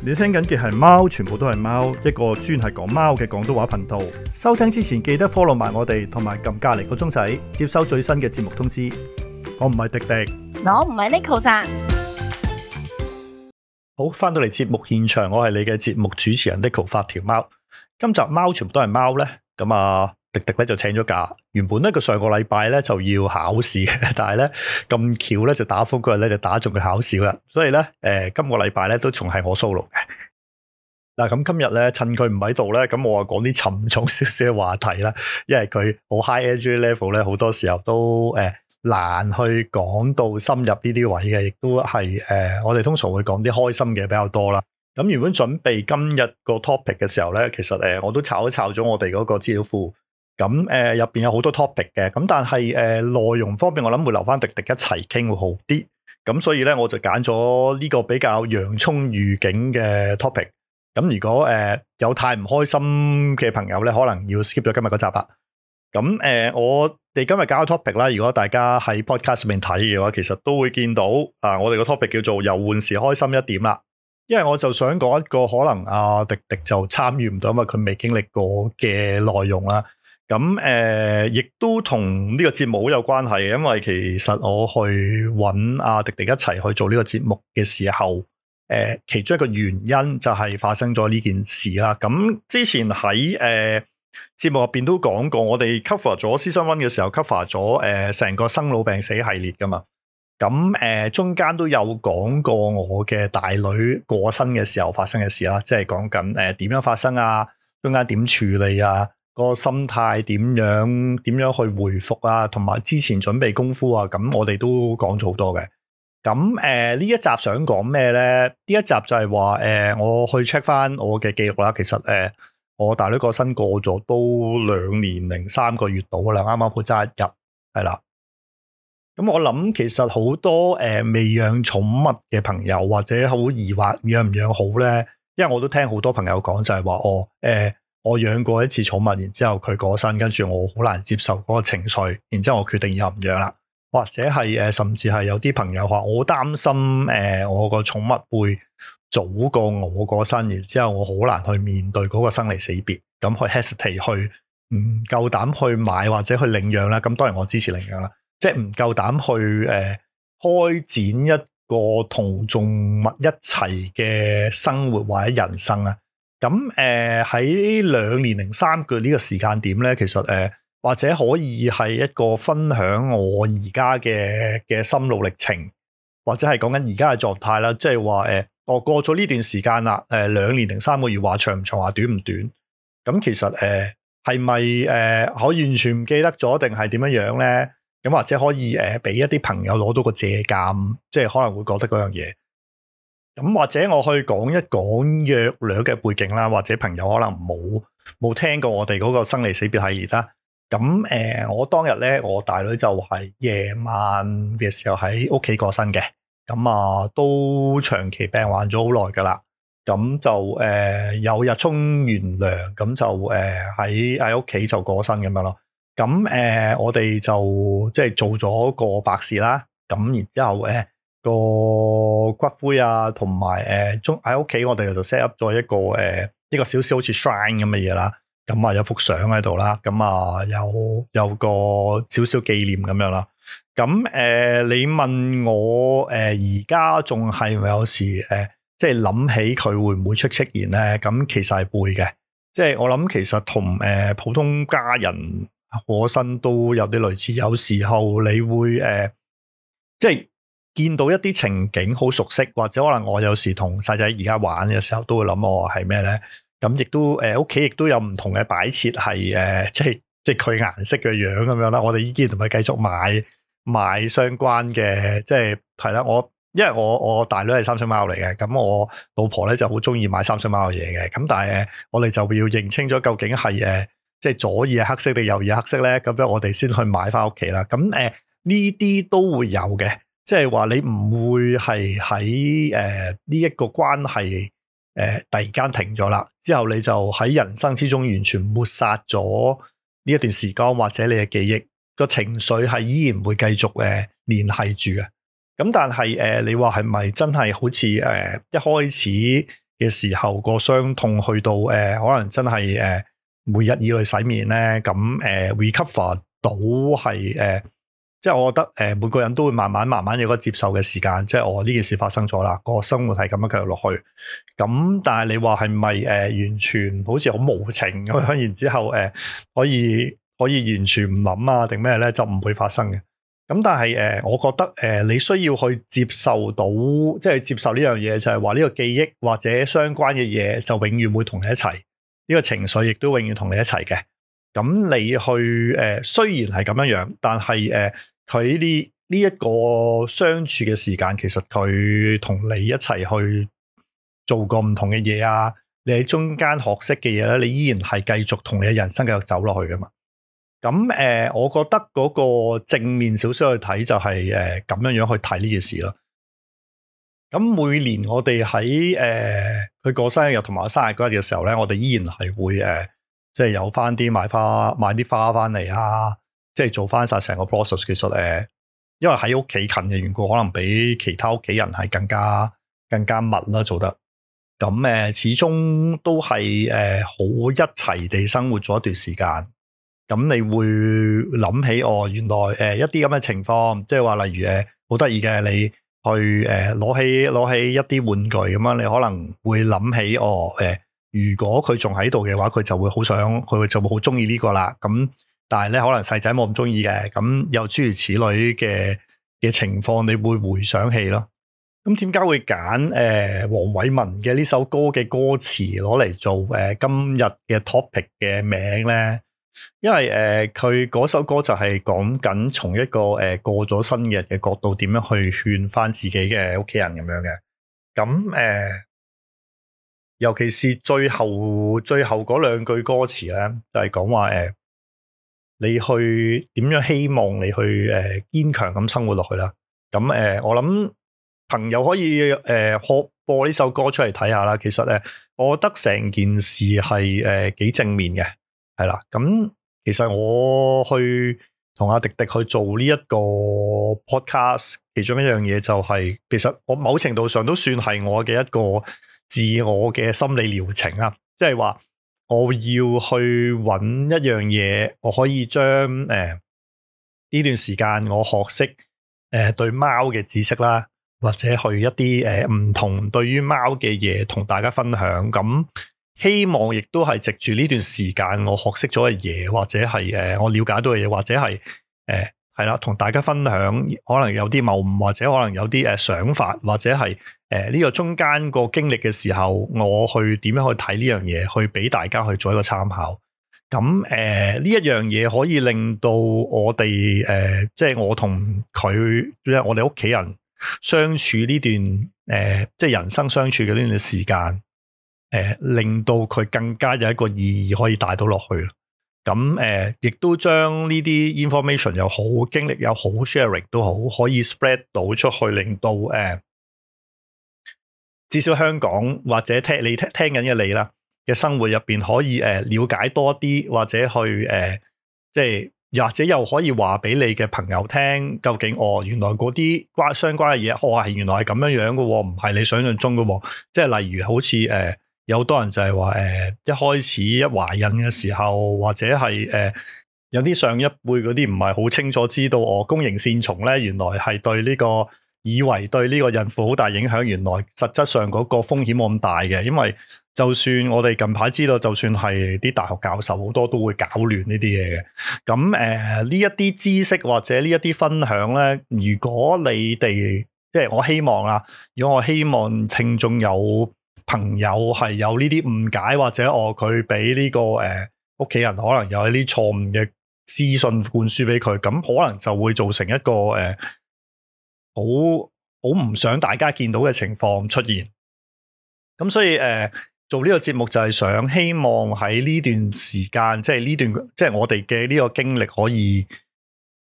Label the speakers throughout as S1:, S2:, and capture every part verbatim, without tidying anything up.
S1: 你聽緊嘅係貓，全部都係貓，一個專係講貓嘅廣東話頻道。收聽之前記得 follow 埋我哋，同埋撳隔離個鐘仔，接收最新嘅節目通知。我唔係迪迪，
S2: 我唔係 Neko さん。
S1: 好，翻到嚟節目現場，我係你嘅節目主持人 Neko 發條貓。今集貓全部都係貓咧，咁啊迪迪咧就請咗假。原本咧佢上個禮拜咧就要考試嘅，但係咧咁巧咧就打風嗰日咧就打中佢考試啦，所以咧誒、呃、今個禮拜咧都仲係我 solo 嘅。嗱，咁今日咧趁佢唔喺度咧，咁我啊講啲沉重少少嘅話題啦，因為佢好 high energy level 咧，好多時候都誒、呃、難去講到深入呢啲位嘅，亦都係誒、呃、我哋通常會講啲開心嘅比較多啦。咁原本準備今日個 topic 嘅時候咧，其實誒、呃、我都抄一抄咗我哋嗰個資料庫。咁誒入邊有好多 topic 嘅，咁但係誒、呃、內容方面我諗會留翻迪迪一齊傾會好啲，咁所以咧我就揀咗呢個比較洋蔥預警嘅 topic。咁如果誒、呃、有太唔開心嘅朋友咧，可能要 skip 咗今日嗰集啦。咁誒、呃、我哋今日搞嘅 topic 啦，如果大家喺 podcast 入面睇嘅話，其實都會見到啊，我哋個 topic 叫做由換時開心一點啦。因為我就想講一個可能啊迪迪就參與唔到，因為佢未經歷過嘅內容啦。咁誒，亦、呃、都同呢個節目好有關係嘅，因為其實我去揾阿迪迪一齊去做呢個節目嘅時候，誒、呃，其中一個原因就係發生咗呢件事啦。咁之前喺誒節目入邊都講過，我哋 cover 咗 season one 嘅時候 cover 咗誒成個生老病死系列噶嘛。咁誒、呃、中間都有講過我嘅大女過身嘅時候發生嘅事啦，即係講緊誒點樣發生啊，中間點處理啊。個心態點樣點樣去回復啊，同埋之前準備功夫啊，咁我哋都講咗好多嘅。咁誒呢一集想講咩咧？呢一集就係話誒我去 check 翻我嘅記錄啦。其實誒、呃、我大女個身過咗都兩年零三個月到啦，啱啱好揸一日係啦。咁我諗其實好多誒、呃、未養寵物嘅朋友或者好疑惑養唔養好咧，因為我都聽好多朋友講就係話哦誒。呃我養過一次寵物，然之後佢過身，跟住我好難接受嗰個情緒，然之後我決定以後唔養啦。或者係誒，甚至係有啲朋友話我好擔心誒、呃，我個寵物會早過我過身，然之後我好難去面對嗰個生離死別，咁去 hesitate 去唔夠膽去買或者去領養啦。咁當然我支持領養啦，即係唔夠膽去誒、呃、開展一個同動物一齊嘅生活或者人生啊。咁誒喺兩年零三個呢個時間點咧，其實誒、呃、或者可以係一個分享我而家嘅嘅心路歷程，或者係講緊而家嘅狀態啦。即係話誒，我過咗呢段時間啦，誒、呃、兩年零三個月，話長唔長，話短唔短。咁其實誒係咪誒可以完全唔記得咗，定係點樣樣咧？咁或者可以誒俾、呃、一啲朋友攞到個借鑑，即係可能會覺得嗰樣嘢。咁或者我去講一講約略嘅背景啦，或者朋友可能冇冇聽過我哋嗰個生離死別系列啦。咁誒、呃，我當日咧，我大女就係夜晚嘅時候喺屋企過身嘅。咁啊，都長期病患咗好耐噶啦。咁就誒、呃、有日沖完涼，咁就誒喺喺屋企就過身咁樣咯。咁誒、呃，我哋就即係做咗個白事啦。咁然之後誒。呃個骨灰啊，同埋誒，中喺屋企我哋就 set up 咗一個誒、呃，一個少少好似 shrine 咁嘅嘢啦。咁啊有幅相喺度啦，咁啊有有個少少紀念咁樣啦。咁誒、呃，你問我誒，而家仲係咪有時誒、呃，即係諗起佢會唔會出出現咧？咁其實係會嘅，即係我諗其實同誒、呃、普通家人過身都有啲類似。有時候你會誒、呃，即係。見到一啲情景好熟悉，或者可能我有時同細仔而家玩嘅時候都會諗我係咩咧？咁亦都誒屋企亦都有唔同嘅擺設係誒，即係即係佢顏色嘅樣咁樣啦。我哋依家同佢繼續買買相關嘅，即係係啦。我因為我我大女係三色貓嚟嘅，咁我老婆咧就好中意買三色貓嘅嘢嘅。咁但係我哋就要認清咗究竟係誒即係左耳係黑色定右耳係黑色咧？咁樣我哋先去買翻屋企啦。咁誒呢啲都會有嘅。即係話你唔會係喺誒呢一個關係誒、呃、突然間停咗啦，之後你就喺人生之中完全抹殺咗呢一段時光或者你嘅記憶，個情緒係依然會繼續誒聯繫住嘅。咁但係誒、呃、你話係咪真係好似誒、呃、一開始嘅時候，個傷痛去到誒、呃、可能真係誒、呃、每日以內洗面咧，咁誒、呃、recover 到係誒。呃即係我覺得誒，每個人都會慢慢慢慢有個接受嘅時間。即係我呢件事發生咗啦，個生活係咁樣繼續落去。咁但係你話係咪誒完全好似好無情咁樣？然之後誒、呃、可以可以完全唔諗啊定咩咧？就唔會發生嘅。咁但係誒、呃，我覺得誒、呃、你需要去接受到，即係接受呢樣嘢，就係話呢個記憶或者相關嘅嘢就永遠會同你一齊。呢、這個情緒亦都永遠同你一齊嘅。咁你去誒、呃，雖然係咁樣樣，但係誒，佢呢呢一個相處嘅時間，其實佢同你一齊去做過唔同嘅嘢啊，你喺中間學識嘅嘢咧，你依然係繼續同你嘅人生繼續走落去噶嘛。咁誒、呃，我覺得嗰個正面少少去睇就係誒咁樣樣去睇呢件事咯。咁每年我哋喺誒佢過生日同埋生日嗰日嘅時候咧，我哋依然係會誒。呃即係有翻啲買花買啲花翻嚟啊！即係做翻晒成個 process。其實誒，因為喺屋企近嘅緣故，可能比其他屋企人係更加更加密啦做得。咁誒，始終都係誒好一齊地生活咗一段時間。咁你會諗起哦，原來誒一啲咁嘅情況，即係話例如誒好得意嘅，你去誒攞起攞起一啲玩具咁樣，你可能會諗起哦誒。呃如果佢仲喺度嘅話，佢就會好想，佢就會好中意呢個啦。咁但係咧，可能細仔冇咁中意嘅。咁又諸如此類嘅嘅情況，你會回想起咯。咁點解會揀誒黃偉文嘅呢首歌嘅歌詞攞嚟做誒、呃、今日嘅 topic 嘅名咧？因為誒佢嗰首歌就係講緊從一個誒、呃、過咗生日嘅角度，點樣去勸翻自己嘅屋企人咁樣嘅。咁誒。呃尤其是最後最後嗰兩句歌詞咧，就係講話誒，你去點樣希望你去誒堅強咁生活落去啦。咁誒、呃，我諗朋友可以誒播、呃、播呢首歌出嚟睇下啦。其實誒，我覺得成件事係誒幾正面嘅，係啦。咁其實我去同阿迪迪去做呢一個 podcast，其中一樣嘢就係、是，其實我某程度上都算係我嘅一個。自我嘅心理療程啊，即係話我要去揾一樣嘢，我可以將誒呢段時間我學識誒、呃、對貓嘅知識啦，或者去一啲誒唔同對於貓嘅嘢同大家分享。咁希望亦都係藉住呢段時間我學識咗嘅嘢，或者係誒、呃、我了解到嘅嘢，或者係誒係啦，同大家分享，可能有啲謬誤，或者可能有啲誒想法，或者係。誒，呢個中間個經歷嘅時候，我去點樣去睇呢樣嘢，去俾大家去做一個參考。咁誒，呢、呃、一樣嘢可以令到我哋誒、呃，即係我同佢，即係我哋屋企人相處呢段誒、呃，即係人生相處嘅呢段時間，誒、呃，令到佢更加有一個意義可以帶到落去。咁誒，亦、呃、都將呢啲 information 又好，經歷又好 sharing 都好，可以 spread 到出去，令到誒。呃至少香港或者聽你聽聽緊嘅你啦嘅生活入邊可以誒、呃、了解多啲，或者去誒、呃、即係或者又可以話俾你嘅朋友聽，究竟哦原來嗰啲關相關嘅嘢，哦係原來係咁樣樣嘅，唔係你想象中嘅。即係例如好似誒、呃、有好多人就係話誒一開始一懷孕嘅時候，或者係誒、呃、有啲上一輩嗰啲唔係好清楚知道哦弓形線蟲咧，原來係對呢、這個。以為對呢個孕婦好大影響，原來實質上嗰個風險冇咁大嘅，因為就算我哋近排知道，就算係啲大學教授好多都會搞亂呢啲嘢嘅。咁誒呢一啲知識或者呢一啲分享咧，如果你哋即係我希望啊，如果我希望聽眾有朋友係有呢啲誤解，或者我佢俾呢個誒屋企人可能有一啲錯誤嘅資訊灌輸俾佢，咁可能就會造成一個誒。呃好好唔想大家見到嘅情況出現，咁所以誒、呃、做呢個節目就係想希望喺呢段時間，即係呢段即係我哋嘅呢個經歷可以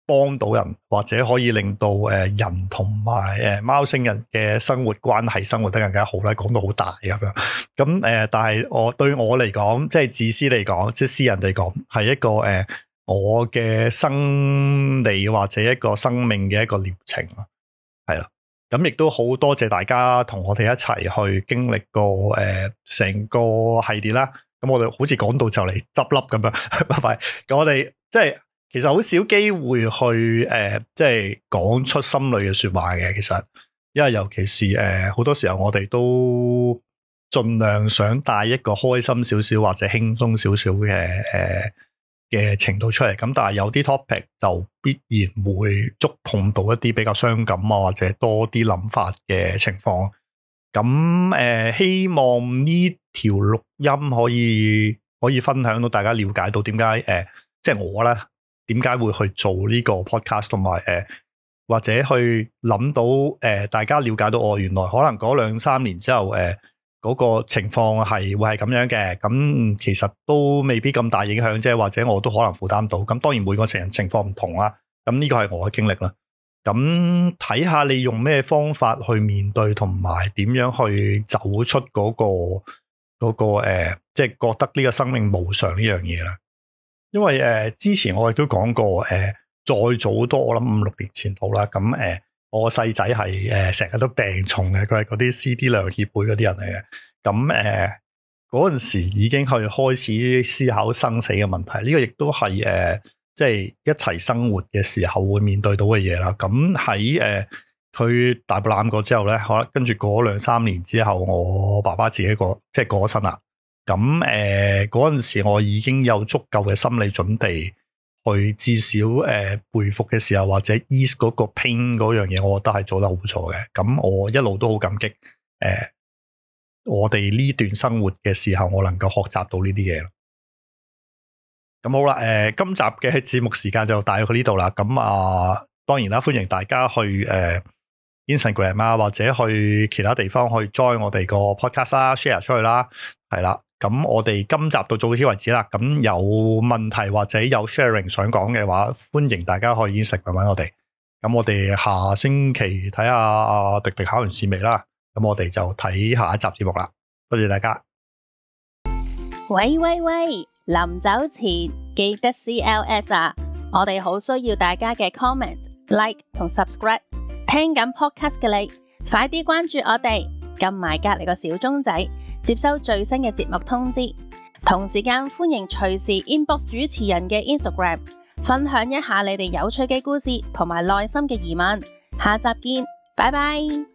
S1: 幫到人，或者可以令到誒、呃、人同埋誒貓星人嘅生活關係生活得更加好咧。講到好大咁樣，咁誒、呃，但係我對我嚟講，即係自私嚟講，即係私人嚟講，係一個誒、呃、我嘅生理或者一個生命嘅一個療程咯。係啦，咁亦都好多謝大家同我哋一齊去經歷過誒成個系列啦。咁我哋好似講到就嚟執笠咁樣，拜拜。咁我哋即係其實好少機會去誒，即係講出心裏嘅說話嘅。其實，因為尤其是誒好多時候我哋都盡量想帶一個開心少少或者輕鬆少少嘅誒嘅程度出嚟。咁但係有啲 topic 就必然會觸碰到一啲比較傷感啊，或者多啲諗法嘅情況。咁誒、呃，希望呢條錄音可以可以分享到大家了解到點解誒，即係我咧點解會去做呢個 podcast， 同埋誒或者去諗到誒、呃，大家了解到我、哦、原來可能嗰兩三年之後誒嗰、呃那個情況係會係咁樣嘅，咁其實都未必咁大影響啫，或者我都可能負擔到。咁當然每個人情況唔同啦，咁呢個係我嘅經歷啦。咁睇下你用咩方法去面對，同埋點樣去走出嗰、那個嗰、那個誒，即、呃、係、就是、覺得呢個生命無常呢樣嘢啦。因為誒、呃、之前我亦都講過，誒、呃、再早多我諗五六年前到啦。咁誒、呃、我細仔係誒成日都病重嘅，佢係嗰啲 C D 量協會嗰啲人嚟嘅。咁誒嗰陣時已經去開始思考生死嘅問題，呢、這個亦都係誒。呃即係一齊生活嘅時候會面對到嘅嘢啦。咁喺誒佢大步攬過之後咧，可能跟住過兩三年之後，我爸爸自己過即係過咗身啦。咁誒嗰陣時，我已經有足夠嘅心理準備，去至少誒回復嘅時候或者 ease 嗰個 pain 嗰樣嘢，我覺得係做得好錯嘅。咁我一路都好感激誒、呃，我哋呢段生活嘅時候，我能夠學習到呢啲嘢咯。咁好啦，誒、呃，今集嘅節目時間就大約去呢度啦。咁啊，當然啦，歡迎大家去誒、呃、Instagram 啊，或者去其他地方去 join 我哋個 podcast 啦 ，share 出去啦，係啦。咁我哋今集到到此為止啦。咁有問題或者有 sharing 想講嘅話，歡迎大家去 Instagram 搵我哋。咁我哋下星期睇下阿迪迪考完試未啦。咁我哋就睇下一集節目啦。多謝大家。
S2: 喂喂喂！臨走前記得 C L S 啊！我哋好需要大家嘅 comment、like 同 subscribe。聽緊 podcast 嘅你，快啲關注我哋，撳埋隔籬個小鐘仔，接收最新嘅節目通知。同時間歡迎隨時 inbox 主持人嘅 Instagram， 分享一下你哋有趣嘅故事同埋內心嘅疑問。下集見，拜拜。